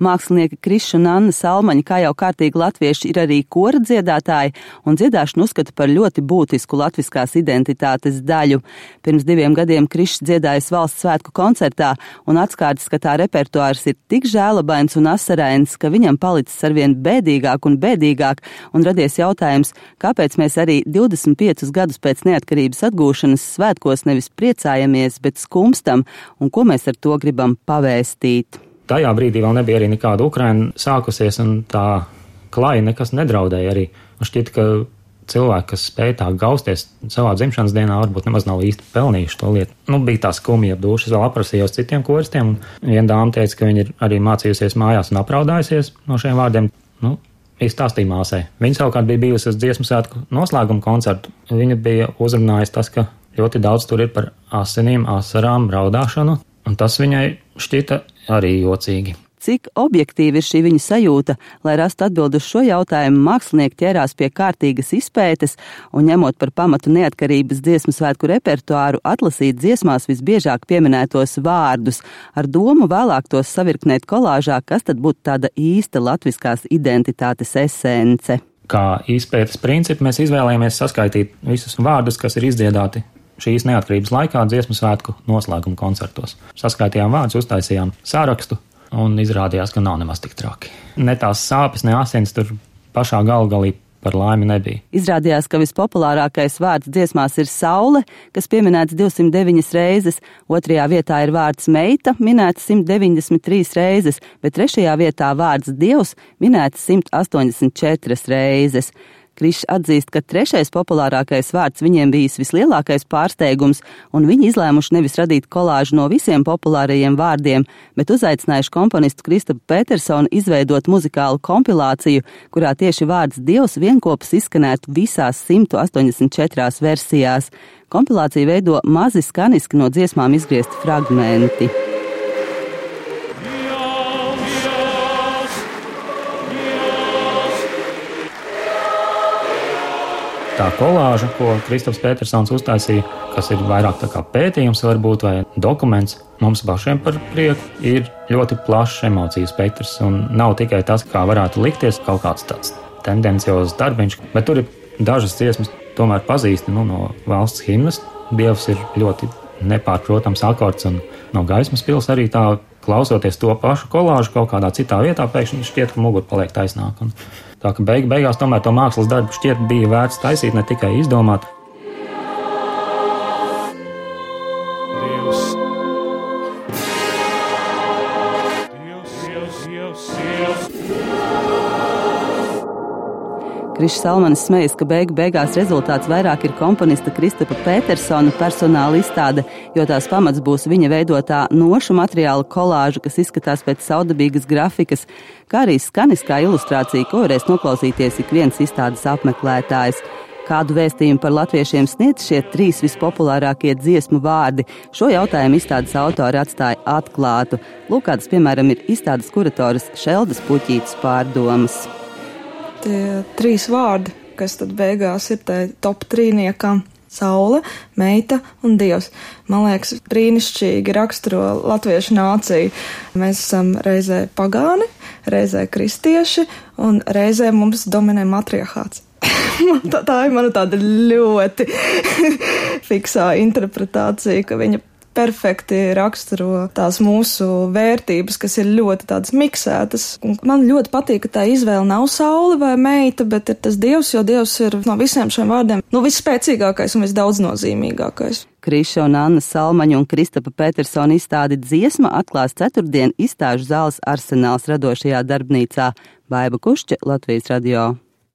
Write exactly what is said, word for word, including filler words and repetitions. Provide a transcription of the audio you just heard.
Mākslinieki Krišs un Anna Salmaņi, kā jau kārtīgi latvieši, ir arī kora dziedātāji un dziedāšanu uzskata par ļoti būtisku latviskās identitātes daļu. Pirms diviem gadiem Krišs dziedājis valsts svētku koncertā un atskārtis, ka tā repertuārs ir tik žēlabains un asarains, ka viņam palicis arvien bēdīgāk un bēdīgāk un radies jautājums, kāpēc mēs arī divdesmit piecus gadus pēc neatkarības atgūšanas svētkos nevis priecājamies, bet skumstam un ko mēs ar to gribam pavēstīt. Tajā brīdī vēl nebija arī nekāda Ukraina sākusies, un tā klāja nekas nedraudēja arī. Man šķiet, ka cilvēki, kas spēja tā gausties savā dzimšanas dienā, varbūt nemaz nav īsti pelnījuši to lietu. Nu, bija tā skumja duša, es vēl aprasījos citiem koristiem, un viena dāma teica, ka viņa ir arī mācījusies mājās un apraudājusies no šiem vārdiem. Nu, izstāstīja māsai. Viņa savukārt bija bijusi uz dziesmu svētku noslēguma koncertu. Viņa bija uzrunājusi tas, ka ļoti daudz tur ir par asinīm, asarām, raudāšanu, un tas viņai šķita arī jocīgi. Cik objektīvi ir šī viņa sajūta, lai rastu atbildi uz šo jautājumu, mākslinieki ķērās pie kārtīgas izpētes un ņemot par pamatu neatkarības dziesmu svētku repertuāru, atlasīt dziesmās visbiežāk pieminētos vārdus, ar domu vēlāk tos savirknēt kolāžā, kas tad būtu tāda īsta latviskās identitātes esence. Kā izpētes principu mēs izvēlējāmies saskaitīt visus vārdus, kas ir izdziedāti šīs neatkarības laikā dziesmu svētku noslēguma koncertos. Saskaitījām vārdus, uztaisījām sārakstu un izrādījās, ka nav nemaz tik traki. Ne tās sāpes, ne asins tur pašā galgalī par laimi nebija. Izrādījās, ka vispopulārākais vārds dziesmās ir saule, kas pieminēts divsimt deviņas reizes, otrajā vietā ir vārds meita, minēts simt deviņdesmit trīs reizes, bet trešajā vietā vārds dievs, minēts simt astoņdesmit četras reizes. Krišs atzīst, ka trešais populārākais vārds viņiem bijis vislielākais pārsteigums, un viņi izlēmuši nevis radīt kolāžu no visiem populārajiem vārdiem, bet uzaicinājuši komponistu Kristapu Petersonu izveidot muzikālu kompilāciju, kurā tieši vārds dievs vienkopus izskanētu visās simt astoņdesmit četrās versijās. Kompilāciju veido mazi skaniski no dziesmām izgriezti fragmenti. Tā kolāža, ko Kristaps Petersons uztaisīja, kas ir vairāk tā kā pētījums varbūt vai dokuments, mums pašiem par prieku, ir ļoti plašs emociju spektrs un nav tikai tas, kā varētu likties kaut kāds tāds tendenciozs darbiņš, bet tur ir dažas dziesmas tomēr pazīsti nu, no valsts himnas. Dievs ir ļoti nepārprotams akords un no Gaismas pils arī tā klausoties to pašu kolāžu kaut kādā citā vietā, pēkšņi šķiet, ka mugura paliek taisnāk. Un tā ka beig, beigās tomēr to mākslas darbu šķiet bija vērts taisīt, ne tikai izdomāt. Dievs. Dievs, Dievs, Dievs, Dievs. Krišs Salmanis smejas, ka beigu beigās rezultāts vairāk ir komponista Kristapa Petersona personāla izstāde, jo tās pamats būs viņa veidotā nošu materiāla kolāža, kas izskatās pēc saudabīgas grafikas, kā arī skaniskā ilustrācija, ko varēs noklausīties ik viens izstādes apmeklētājs. Kādu vēstījumu par latviešiem sniedz šie trīs vispopulārākie dziesmu vārdi? Šo jautājumu izstādes autori atstāja atklātu. Lūk, kādas, piemēram, ir izstādes kuratoras Šeldas Puķītes pārdomas. Tie trīs vārdi, kas tad beigās ir tai top trīniekam – saule, meita un dievs. Man liekas, brīnišķīgi raksturo latviešu nāciju. Mēs esam reizē pagāni, reizē kristieši un reizē mums dominē matriarchāts. tā, tā ir mana tāda ļoti fiksā interpretācija, ka viņa perfekti raksturo tās mūsu vērtības, kas ir ļoti tādas miksētas. Un man ļoti patīk, ka tā izvēle nav saule vai meita, bet ir tas dievs, jo dievs ir no visiem šiem vārdiem nu, visspēcīgākais un visdaudznozīmīgākais. Kriša un Anna Salmaņa un Kristapa Petersona izstādi Dziesma atklās ceturtdien izstāžu zāles Arsenāls radošajā darbnīcā. Baiba Kušķe, Latvijas radio.